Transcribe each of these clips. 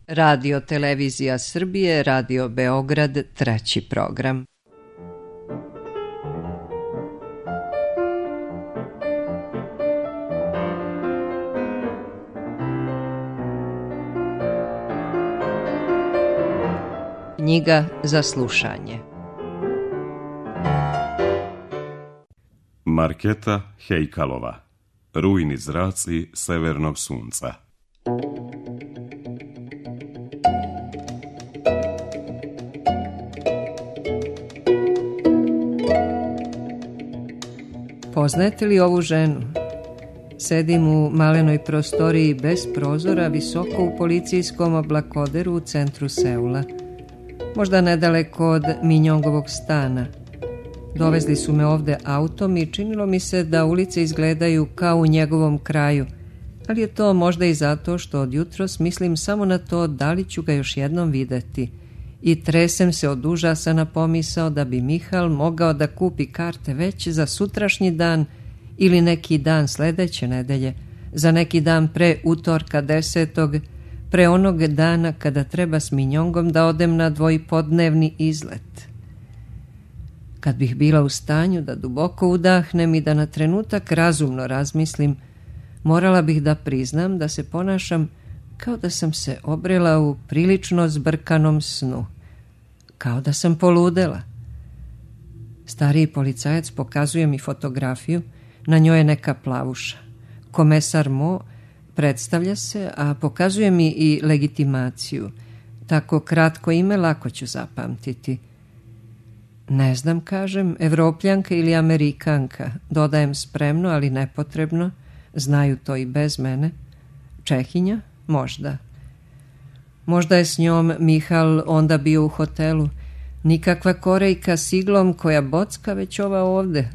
Radio Televizija Srbije, Radio Beograd, 3. program. Knjiga za slušanje. Marketa Hejkalova. Rujni zraci severnog sunca. Poznajete li ovu ženu? Sedim u malenoj prostoriji bez prozora, visoko u policijskom oblakoderu u centru Seula. Možda nedaleko od Minjongovog stana. Dovezli su me ovde autom i činilo mi se da ulice izgledaju kao u njegovom kraju, ali je to možda i zato što od jutros mislim samo na to da li ću ga još jednom videti i tresem se od užasa na pomisao da bi Mihal mogao da kupi karte već za sutrašnji dan ili neki dan sledeće nedelje, za neki dan pre utorka 10. pre onog dana kada treba s Minjongom da odem na dvojpodnevni izlet. Kad bih bila u stanju da duboko udahnem i da na trenutak razumno razmislim, morala bih da priznam da se ponašam kao da sam se obrela u prilično zbrkanom snu. Kao da sam poludela. Stariji policajac pokazuje mi fotografiju, na njoj je neka plavuša. Komesar Mo predstavlja se, a pokazuje mi i legitimaciju. Tako kratko ime lako ću zapamtiti. Ne znam, kažem, Evropljanka ili Amerikanka, dodajem spremno, ali nepotrebno, znaju to i bez mene. Čehinja? Možda. Možda je s njom Mihal onda bio u hotelu. Nikakva Korejka s iglom koja bocka, već ova ovde.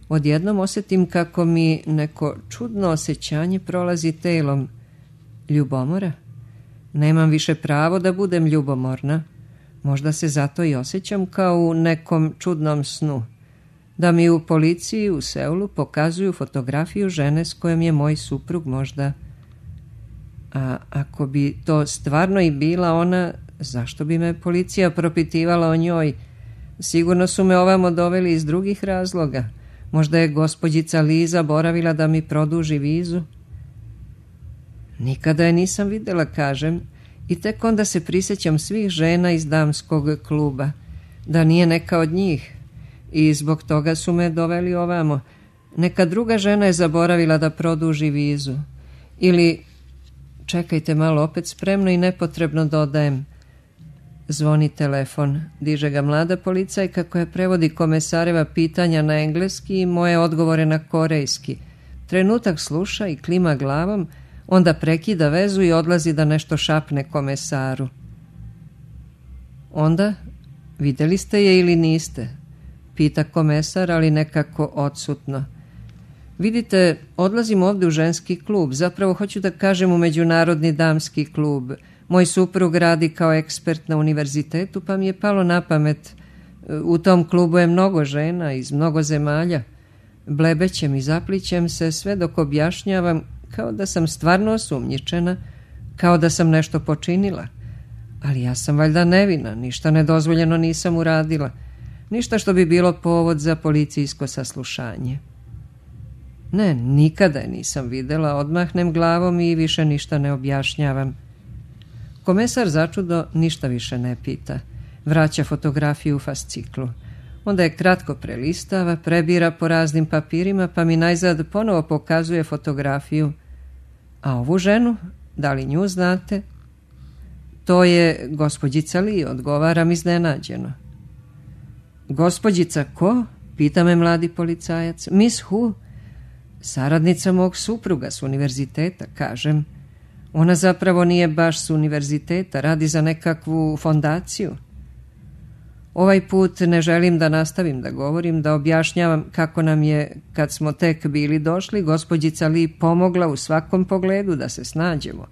Odjednom osjetim kako mi neko čudno osjećanje prolazi telom. Ljubomora? Nemam više pravo da budem ljubomorna. Možda se zato i osjećam kao u nekom čudnom snu. Da mi u policiji u Seulu pokazuju fotografiju žene s kojom je moj suprug možda. A ako bi to stvarno i bila ona, zašto bi me policija propitivala o njoj? Sigurno su me ovamo doveli iz drugih razloga. Možda je gospođica Liza boravila da mi produži vizu. Nikada je nisam videla, kažem, i tek onda se prisjećam svih žena iz damskog kluba, da nije neka od njih, i zbog toga su me doveli ovamo. Neka druga žena je zaboravila da produži vizu. Ili, čekajte malo, opet spremno i nepotrebno dodajem. Zvoni telefon, diže ga mlada policajka koja prevodi komesareva pitanja na engleski i moje odgovore na korejski. Trenutak sluša i klima glavom, onda prekida vezu i odlazi da nešto šapne komesaru. Onda, videli ste je ili niste? Pita komesar, ali nekako odsutno. Vidite, odlazim ovde u ženski klub, zapravo hoću da kažem u međunarodni damski klub. Moj suprug radi kao ekspert na univerzitetu, pa mi je palo na pamet. U tom klubu je mnogo žena iz mnogo zemalja. Blebećem i zaplićem se sve dok objašnjavam kao da sam stvarno osumnjičena, kao da sam nešto počinila. Ali ja sam valjda nevina, ništa nedozvoljeno nisam uradila. Ništa što bi bilo povod za policijsko saslušanje. Ne, nikada je nisam videla, odmahnem glavom i više ništa ne objašnjavam. Komesar začudo ništa više ne pita. Vraća fotografiju u fasciklu. Onda je kratko prelistava, prebira po raznim papirima, pa mi najzad ponovo pokazuje fotografiju. A ovu ženu, da li nju znate? To je gospođica Li, odgovaram iznenađeno. Gospođica ko? Pita me mladi policajac. Miss Hu? Saradnica mog supruga s univerziteta, kažem. Ona zapravo nije baš s univerziteta, radi za nekakvu fondaciju. Ovaj put ne želim da nastavim da govorim, da objašnjavam kako nam je, kad smo tek bili došli, gospođica Li pomogla u svakom pogledu da se snađemo.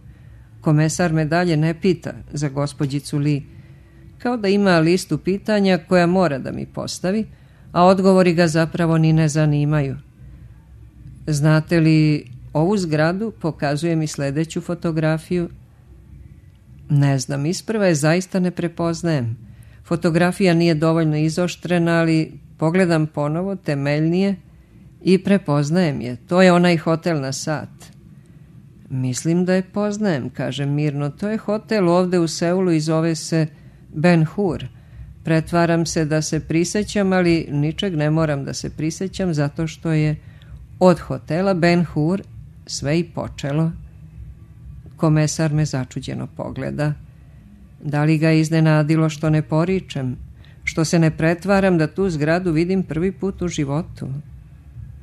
Komesar me dalje ne pita za gospođicu Li, kao da ima listu pitanja koja mora da mi postavi, a odgovori ga zapravo ni ne zanimaju. Znate li ovu zgradu? Pokazuje mi sledeću fotografiju. Ne znam, isprva je zaista ne prepoznajem. Fotografija nije dovoljno izoštrena, ali pogledam ponovo, temeljnije, i prepoznajem je. To je onaj hotel na sat. Mislim da je poznajem, kažem mirno. To je hotel ovde u Seulu i zove se Ben Hur. Pretvaram se da se prisećam, ali ničeg ne moram da se prisećam, zato što je od hotela Ben Hur sve i počelo. Komesar me začuđeno pogleda. Da li ga iznenadilo što ne poričem, što se ne pretvaram da tu zgradu vidim prvi put u životu?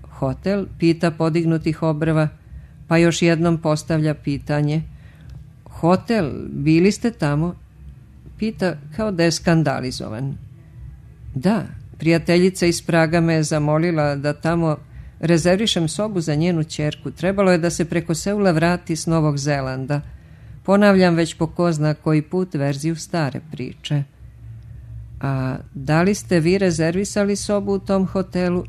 Hotel, pita podignutih obrva, pa još jednom postavlja pitanje. Hotel, bili ste tamo? Pita kao da je skandalizovan. Da, prijateljica iz Praga me je zamolila da tamo rezervišem sobu za njenu ćerku. Trebalo je da se preko Seula vrati s Novog Zelanda. Ponavljam već po ko zna koji put verziju stare priče. A da li ste vi rezervisali sobu u tom hotelu?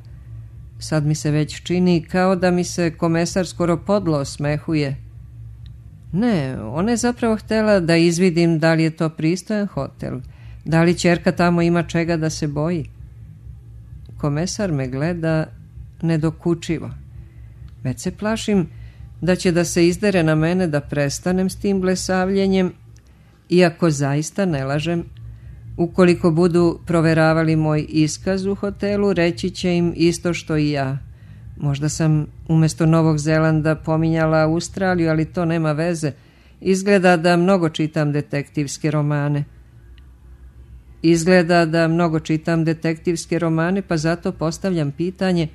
Sad mi se već čini kao da mi se komesar skoro podlo osmehuje. Ne, ona je zapravo htjela da izvidim da li je to pristojan hotel, da li ćerka tamo ima čega da se boji. Komesar me gleda nedokučivo. Već se plašim da će da se izdere na mene da prestanem s tim blesavljenjem, iako zaista ne lažem. Ukoliko budu proveravali moj iskaz u hotelu, reći će im isto što i ja. Možda sam umjesto Novog Zelanda pominjala Australiju, ali to nema veze. Izgleda da mnogo čitam detektivske romane. Pa zato postavljam pitanje,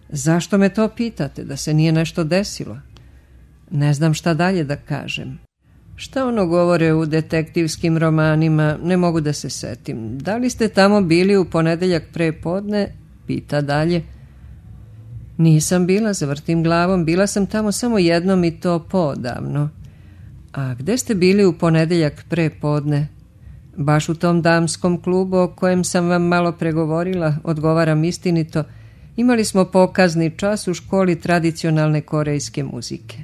zašto me to pitate, da se nije nešto desilo? Ne znam šta dalje da kažem. Šta ono govore u detektivskim romanima, ne mogu da se setim. Da li ste tamo bili u ponedeljak pre podne? Pita dalje. Nisam bila, zavrtim glavom, bila sam tamo samo jednom i to poodavno. A gde ste bili u ponedeljak pre podne? Baš u tom damskom klubu o kojem sam vam malo pregovorila, odgovaram istinito. Imali smo pokazni čas u školi tradicionalne korejske muzike.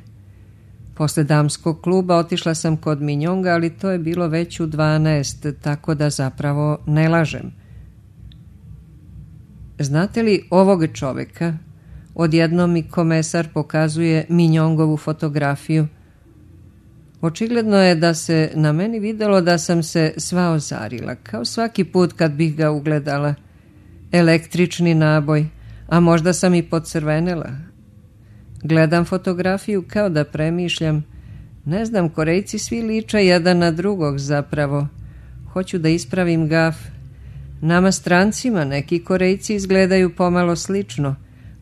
Posle damskog kluba otišla sam kod Minjonga, ali to je bilo već u 12, tako da zapravo ne lažem. Znate li ovog čoveka? Odjednom mi komesar pokazuje Minjongovu fotografiju. Očigledno je da se na meni videlo da sam se sva ozarila, kao svaki put kad bih ga ugledala. Električni naboj, a možda sam i pocrvenela. Gledam fotografiju kao da premišljam. Ne znam, Korejci svi liče jedan na drugog zapravo. Hoću da ispravim gaf. Nama strancima neki Korejci izgledaju pomalo slično,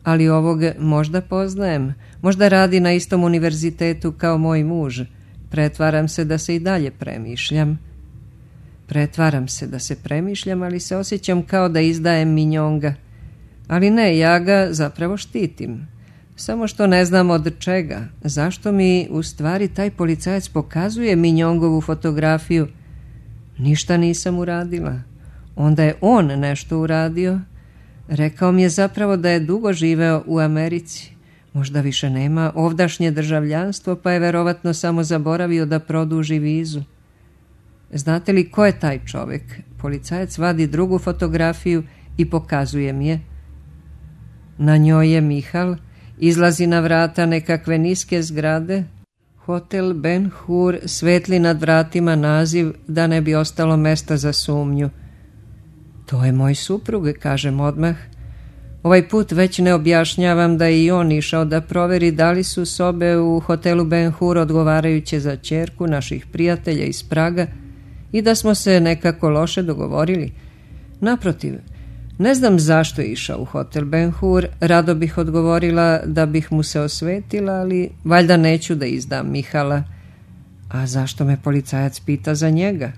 ali ovog možda poznajem. Možda radi na istom univerzitetu kao moj muž. Pretvaram se da se i dalje premišljam. Ali se osjećam kao da izdajem Minjonga. Ali ne, ja ga zapravo štitim. Samo što ne znam od čega. Zašto mi u stvari taj policajac pokazuje Minjongovu fotografiju? Ništa nisam uradila. Onda je on nešto uradio. Rekao mi je zapravo da je dugo živeo u Americi. Možda više nema ovdašnje državljanstvo, pa je verovatno samo zaboravio da produži vizu. Znate li ko je taj čovjek? Policajac vadi drugu fotografiju i pokazuje mi je. Na njoj je Mihal, izlazi na vrata nekakve niske zgrade. Hotel Ben Hur, svetli nad vratima naziv da ne bi ostalo mesta za sumnju. To je moj suprug, kažem odmah. Ovaj put već ne objašnjavam da je i on išao da proveri da li su sobe u hotelu Ben Hur odgovarajuće za ćerku naših prijatelja iz Praga i da smo se nekako loše dogovorili. Naprotiv, ne znam zašto je išao u hotel Ben Hur, rado bih odgovorila da bih mu se osvetila, ali valjda neću da izdam Mihala. A zašto me policajac pita za njega?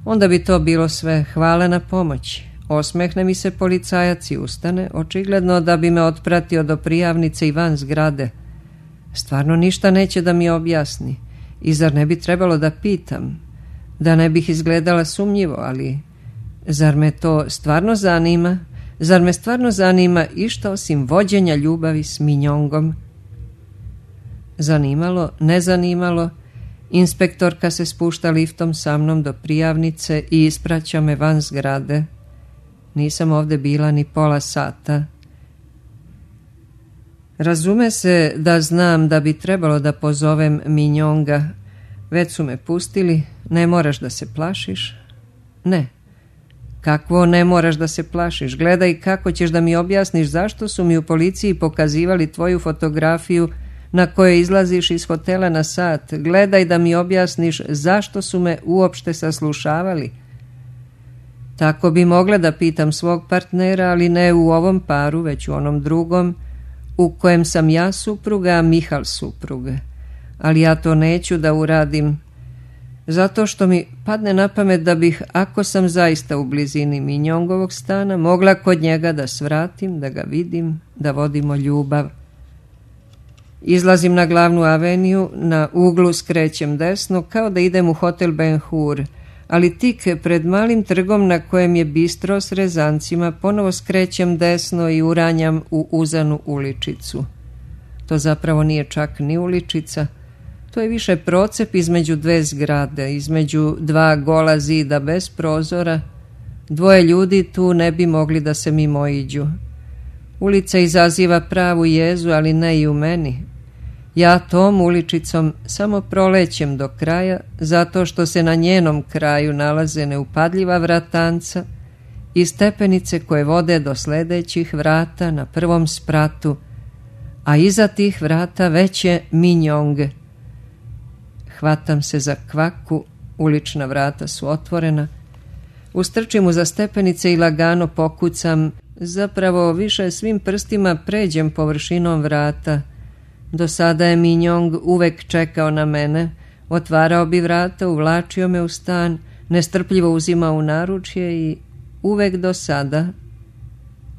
Onda bi to bilo sve, hvala na pomoći. Osmehne mi se policajac i ustane, očigledno da bi me otpratio do prijavnice i van zgrade. Stvarno ništa neće da mi objasni. I zar ne bi trebalo da pitam? Da ne bih izgledala sumnjivo, ali zar me to stvarno zanima? Zar me stvarno zanima išta osim vođenja ljubavi s Minjongom? Zanimalo, ne zanimalo, Inspektorka se spušta liftom sa mnom do prijavnice i ispraća me van zgrade. Nisam ovde bila ni pola sata. Razume se da znam da bi trebalo da pozovem Minjonga. Već su me pustili, ne moraš da se plašiš. Ne. Kakvo ne moraš da se plašiš? Gledaj kako ćeš da mi objasniš zašto su mi u policiji pokazivali tvoju fotografiju na kojoj izlaziš iz hotela na sat. Gledaj da mi objasniš zašto su me uopšte saslušavali. Tako bi mogla da pitam svog partnera, ali ne u ovom paru, već u onom drugom, u kojem sam ja supruga, a Mihal supruga. Ali ja to neću da uradim, zato što mi padne na pamet da bih, ako sam zaista u blizini Minjongovog stana, mogla kod njega da svratim, da ga vidim, da vodimo ljubav. Izlazim na glavnu aveniju, na uglu skrećem desno, kao da idem u hotel Ben Hur, ali tik pred malim trgom na kojem je bistro s rezancima, ponovo skrećem desno i uranjam u uzanu uličicu. To zapravo nije čak ni uličica, to je više procep između dve zgrade, između dva gola zida bez prozora. Dvoje ljudi tu ne bi mogli da se mimoiđu. Ulica izaziva pravu jezu, ali ne i u meni. Ja tom uličicom samo prolećem do kraja, zato što se na njenom kraju nalaze neupadljiva vratanca i stepenice koje vode do sledećih vrata na prvom spratu, a iza tih vrata već je Minjong. Hvatam se za kvaku, ulična vrata su otvorena, ustrčim uza stepenice i lagano pokucam, zapravo više svim prstima pređem površinom vrata. Do sada je Minjong uvek čekao na mene, otvarao bi vrata, uvlačio me u stan, nestrpljivo uzimao u naručje i uvek do sada,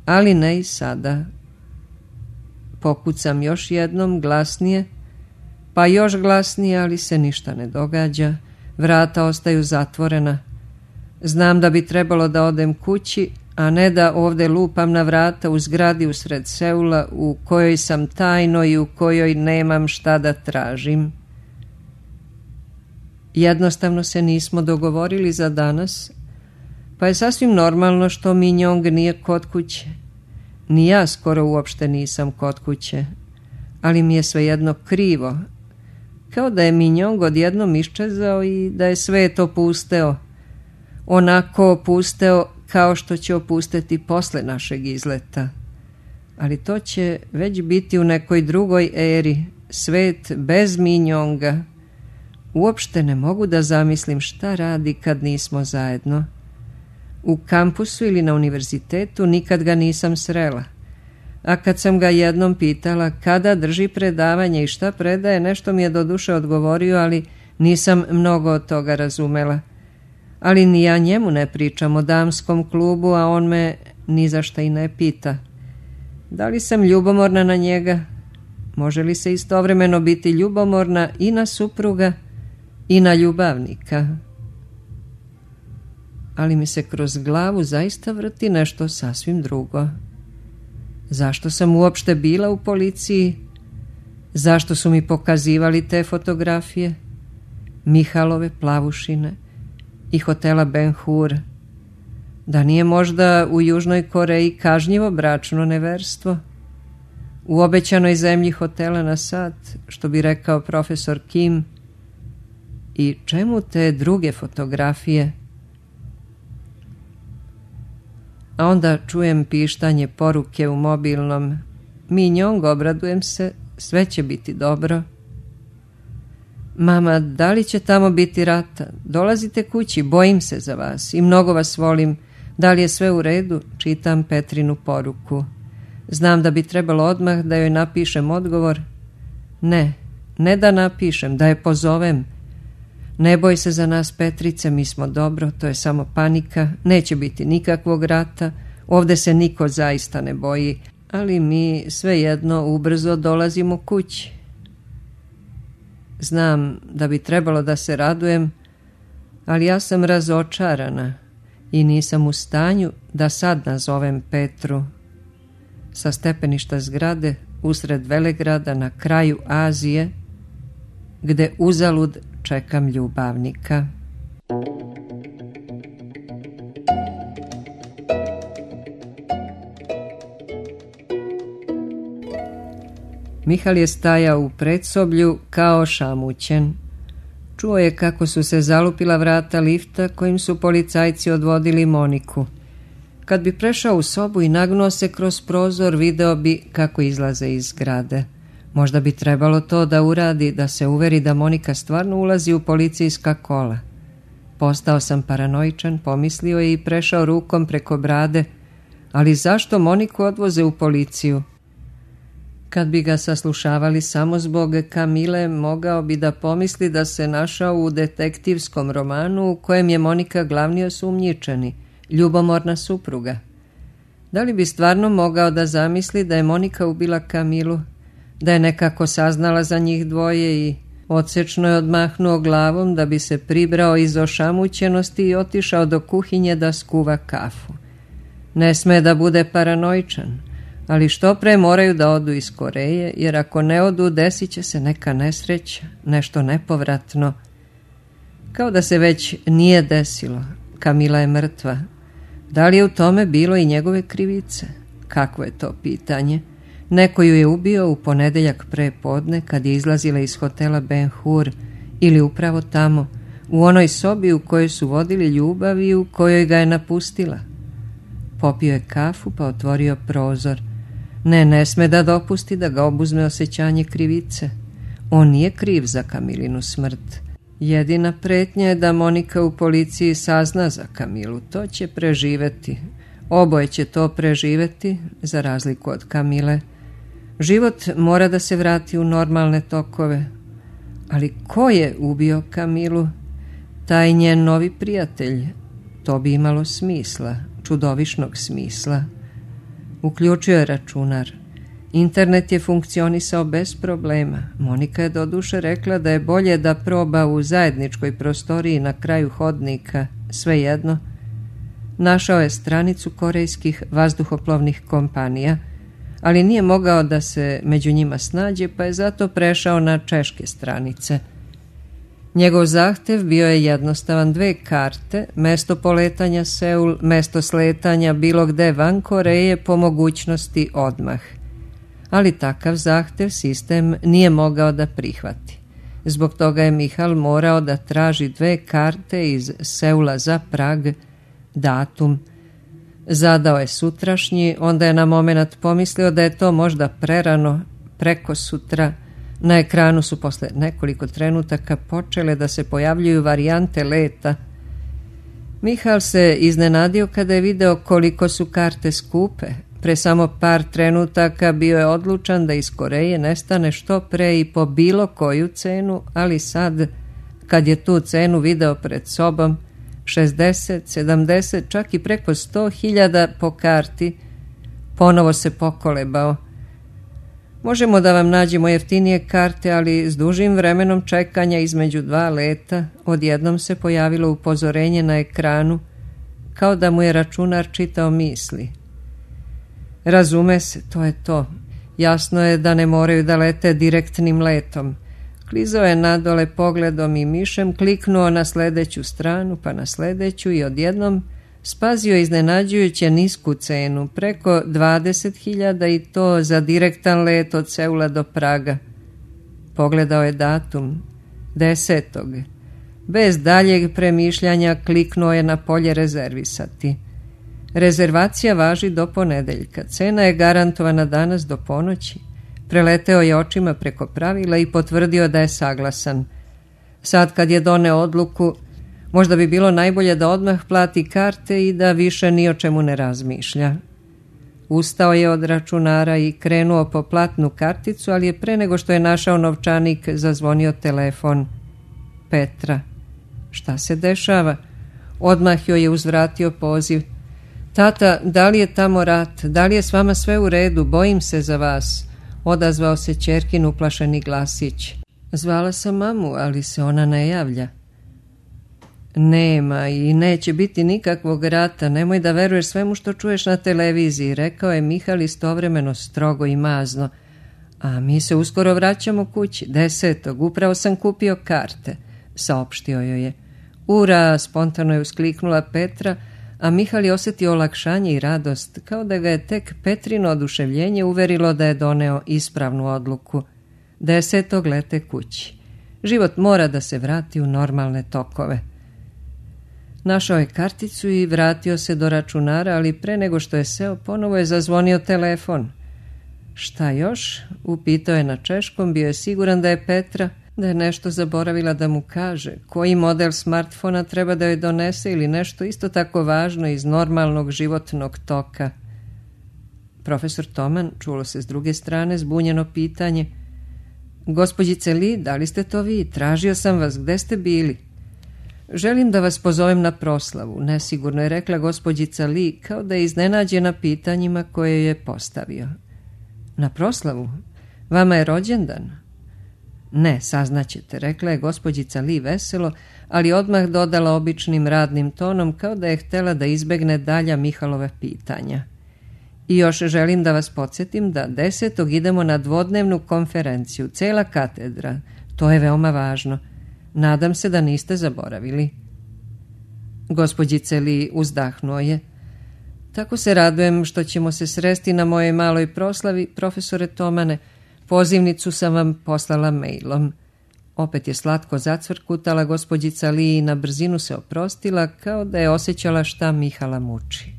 ali ne i sada. Pokucam još jednom, glasnije, pa još glasnije, ali se ništa ne događa. Vrata ostaju zatvorena. Znam da bi trebalo da odem kući, a ne da ovde lupam na vrata u zgradi usred Seula u kojoj sam tajno i u kojoj nemam šta da tražim. Jednostavno se nismo dogovorili za danas, pa je sasvim normalno što Minjong nije kod kuće. Ni ja skoro uopšte nisam kod kuće, ali mi je svejedno krivo, kao da je Minjong odjednom iščezao i da je svet opusteo, onako opusteo kao što će opusteti posle našeg izleta. Ali to će već biti u nekoj drugoj eri, svet bez Minjonga. Uopšte ne mogu da zamislim šta radi kad nismo zajedno. U kampusu ili na univerzitetu nikad ga nisam srela. A kad sam ga jednom pitala kada drži predavanje i šta predaje, nešto mi je doduše odgovorio, ali nisam mnogo od toga razumela. Ali ni ja njemu ne pričam o damskom klubu, a on me ni za šta i ne pita. Da li sam ljubomorna na njega? Može li se istovremeno biti ljubomorna i na supruga i na ljubavnika? Ali mi se kroz glavu zaista vrti nešto sasvim drugo. Zašto sam uopšte bila u policiji? Zašto su mi pokazivali te fotografije? Mihalove plavušine i hotela Ben Hur. Da nije možda u Južnoj Koreji kažnjivo bračno neverstvo? U obećanoj zemlji hotela na sat, što bi rekao profesor Kim. I čemu te druge fotografije? A onda čujem pištanje poruke u mobilnom. Minjong, obradujem se, sve će biti dobro. Mama, da li će tamo biti rata? Dolazite kući, bojim se za vas i mnogo vas volim. Da li je sve u redu? Čitam Petrinu poruku. Znam da bi trebalo odmah da joj napišem odgovor. Ne da napišem, da je pozovem. Ne boj se za nas, Petrice, mi smo dobro, to je samo panika, neće biti nikakvog rata, ovde se niko zaista ne boji, ali mi svejedno ubrzo dolazimo kući. Znam da bi trebalo da se radujem, ali ja sam razočarana i nisam u stanju da sad nazovem Petru. Sa stepeništa zgrade, usred Velegrada, na kraju Azije, gde uzalud čekam ljubavnika. Mihal je stajao u predsoblju kao šamućen. Čuo je kako su se zalupila vrata lifta kojim su policajci odvodili Moniku. Kad bi prešao u sobu i nagnuo se kroz prozor, video bi kako izlaze iz zgrade. Možda bi trebalo to da uradi, da se uveri da Monika stvarno ulazi u policijska kola. Postao sam paranoičan, pomislio je i prešao rukom preko brade. Ali zašto Moniku odvoze u policiju? Kad bi ga saslušavali samo zbog Kamile, mogao bi da pomisli da se našao u detektivskom romanu u kojem je Monika glavni osumnjičeni, ljubomorna supruga. Da li bi stvarno mogao da zamisli da je Monika ubila Kamilu, da je nekako saznala za njih dvoje i odsečno je odmahnuo glavom da bi se pribrao iz ošamućenosti i otišao do kuhinje da skuva kafu. Ne sme da bude paranoičan, ali što pre moraju da odu iz Koreje, jer ako ne odu, desit će se neka nesreća, nešto nepovratno. Kao da se već nije desilo. Kamila je mrtva. Da li je u tome bilo i njegove krivice? Kakvo je to pitanje? Neko ju je ubio u ponedeljak pre podne kad je izlazila iz hotela Ben Hur, ili upravo tamo, u onoj sobi u kojoj su vodili ljubav i u kojoj ga je napustila. Popio je kafu pa otvorio prozor. Ne sme da dopusti da ga obuzme osjećanje krivice. On nije kriv za Kamilinu smrt. Jedina pretnja je da Monika u policiji sazna za Kamilu. To će preživeti. Oboje će to preživeti, za razliku od Kamile. Život mora da se vrati u normalne tokove. Ali ko je ubio Kamilu? Taj njen novi prijatelj. To bi imalo smisla, čudovišnog smisla. Uključio je računar. Internet je funkcionisao bez problema. Monika je doduše rekla da je bolje da proba u zajedničkoj prostoriji na kraju hodnika, svejedno. Našao je stranicu korejskih vazduhoplovnih kompanija, ali nije mogao da se među njima snađe, pa je zato prešao na češke stranice. Njegov zahtev bio je jednostavan: 2 karte, mesto poletanja Seul, mesto sletanja bilo gde van Koreje, po mogućnosti odmah. Ali takav zahtev sistem nije mogao da prihvati. Zbog toga je Mihal morao da traži 2 karte iz Seula za Prag, datum. Zadao je sutrašnji, onda je na momenat pomislio da je to možda prerano, preko sutra. Na ekranu su posle nekoliko trenutaka počele da se pojavljuju varijante leta. Mihal se iznenadio kada je video koliko su karte skupe. Pre samo par trenutaka bio je odlučan da iz Koreje nestane što pre i po bilo koju cenu, ali sad, kad je tu cenu video pred sobom, 60, 70, čak i preko 100.000 po karti, ponovo se pokolebao. Možemo da vam nađemo jeftinije karte, ali s dužim vremenom čekanja između 2 leta odjednom se pojavilo upozorenje na ekranu, kao da mu je računar čitao misli. Razume se, to je to. Jasno je da ne moraju da lete direktnim letom. Klizao je nadole pogledom i mišem, kliknuo na sledeću stranu, pa na sledeću i odjednom spazio iznenađujuće nisku cenu, preko 20.000 i to za direktan let od Seula do Praga. Pogledao je datum, 10. Bez daljeg premišljanja kliknuo je na polje rezervisati. Rezervacija važi do ponedeljka, cena je garantovana danas do ponoći. Preleteo je očima preko pravila i potvrdio da je saglasan. Sad kad je doneo odluku, možda bi bilo najbolje da odmah plati karte i da više ni o čemu ne razmišlja. Ustao je od računara i krenuo po platnu karticu, ali je pre nego što je našao novčanik zazvonio telefon. Petra. Šta se dešava? Odmah joj je uzvratio poziv. Tata, da li je tamo rat? Da li je s vama sve u redu? Bojim se za vas. Odazvao se ćerkin uplašeni glasić. Zvala sam mamu, ali se ona ne javlja. Nema i neće biti nikakvog rata, nemoj da veruješ svemu što čuješ na televiziji, rekao je Mihal istovremeno strogo i mazno. A mi se uskoro vraćamo kući, 10. Upravo sam kupio karte. saopštio joj je. Ura, spontano je uskliknula Petra, a Mihal je osjetio olakšanje i radost, kao da ga je tek Petrino oduševljenje uverilo da je doneo ispravnu odluku. 10. lete kući. Život mora da se vrati u normalne tokove. Našao je karticu i vratio se do računara, ali pre nego što je seo, ponovo je zazvonio telefon. Šta još? Upitao je na češkom, bio je siguran da je Petra, da je nešto zaboravila da mu kaže, koji model smartfona treba da joj donese ili nešto isto tako važno iz normalnog životnog toka. Profesor Toman, čulo se s druge strane zbunjeno pitanje. Gospođice Li, da li ste to vi? Tražio sam vas, gde ste bili? Želim da vas pozovem na proslavu, nesigurno je rekla gospođica Li, kao da je iznenađena pitanjima koje je postavio. Na proslavu? Vama je rođendan? Ne, saznaćete, rekla je gospođica Li veselo, ali odmah dodala običnim radnim tonom, kao da je htjela da izbegne dalja Mihalove pitanja. I još želim da vas podsjetim da 10. idemo na dvodnevnu konferenciju, cela katedra. To je veoma važno. Nadam se da niste zaboravili. Gospođice Li uzdahnuo je. Tako se radujem što ćemo se sresti na mojoj maloj proslavi, profesore Tomane. Pozivnicu sam vam poslala mailom. Opet je slatko zacvrkutala gospođica Li i na brzinu se oprostila, kao da je osjećala šta Mihala muči.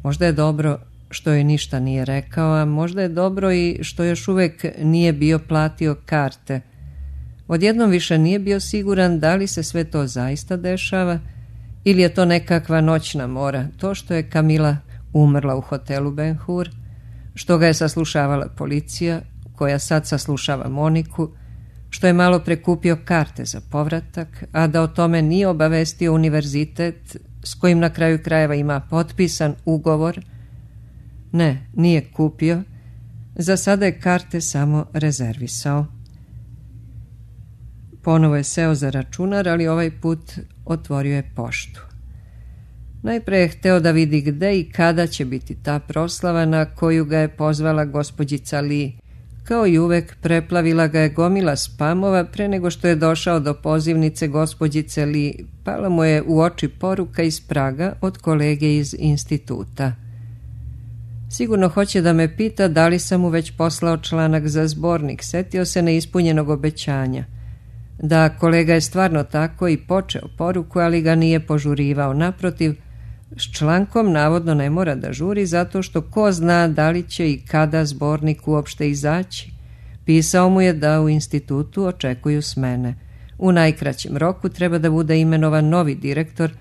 Možda je dobro što joj ništa nije rekao, a možda je dobro i što još uvek nije bio platio karte. Odjednom više nije bio siguran da li se sve to zaista dešava ili je to nekakva noćna mora, to što je Kamila umrla u hotelu Ben Hur, što ga je saslušavala policija, koja sad saslušava Moniku, što je malo prekupio karte za povratak, a da o tome nije obavestio univerzitet s kojim na kraju krajeva ima potpisan ugovor. Ne, nije kupio, za sada je karte samo rezervisao. Ponovo je seo za računar, ali ovaj put otvorio je poštu. Najpre je hteo da vidi gde i kada će biti ta proslava na koju ga je pozvala gospođica Li. Kao i uvek, preplavila ga je gomila spamova pre nego što je došao do pozivnice gospođice Li. Pala mu je u oči poruka iz Praga od kolege iz instituta. Sigurno hoće da me pita da li sam mu već poslao članak za zbornik, setio se neispunjenog obećanja. Da, kolega je stvarno tako i počeo poruku, ali ga nije požurivao. Naprotiv, s člankom navodno ne mora da žuri zato što ko zna da li će i kada zbornik uopšte izaći. Pisao mu je da u institutu očekuju smene. U najkraćem roku treba da bude imenovan novi direktor,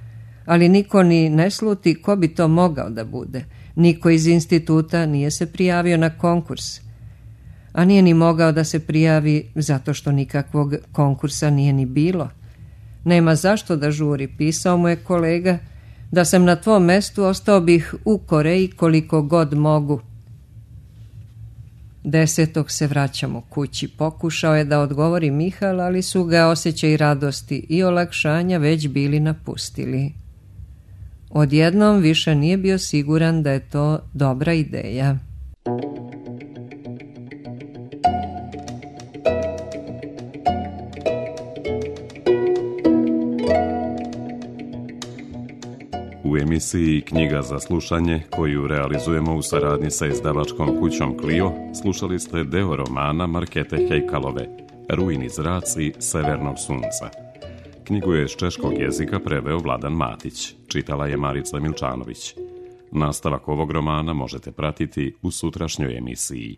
ali niko ni ne sluti ko bi to mogao da bude. Niko iz instituta nije se prijavio na konkurs. A nije ni mogao da se prijavi zato što nikakvog konkursa nije ni bilo. Nema zašto da žuri, pisao mu je kolega, da sam na tvom mestu ostao bih u Koreji koliko god mogu. 10. se vraćamo kući. Pokušao je da odgovori Mihal, ali su ga osjećaj radosti i olakšanja već bili napustili. Odjednom više nije bio siguran da je to dobra ideja. U emisiji Knjiga za slušanje, koju realizujemo u saradnji sa izdavačkom kućom Clio, slušali ste deo romana Markete Hejkalove, Rujni zraci severnog sunca. Knjigu je iz češkog jezika preveo Vladan Matić, čitala je Marica Milčanović. Nastavak ovog romana možete pratiti u sutrašnjoj emisiji.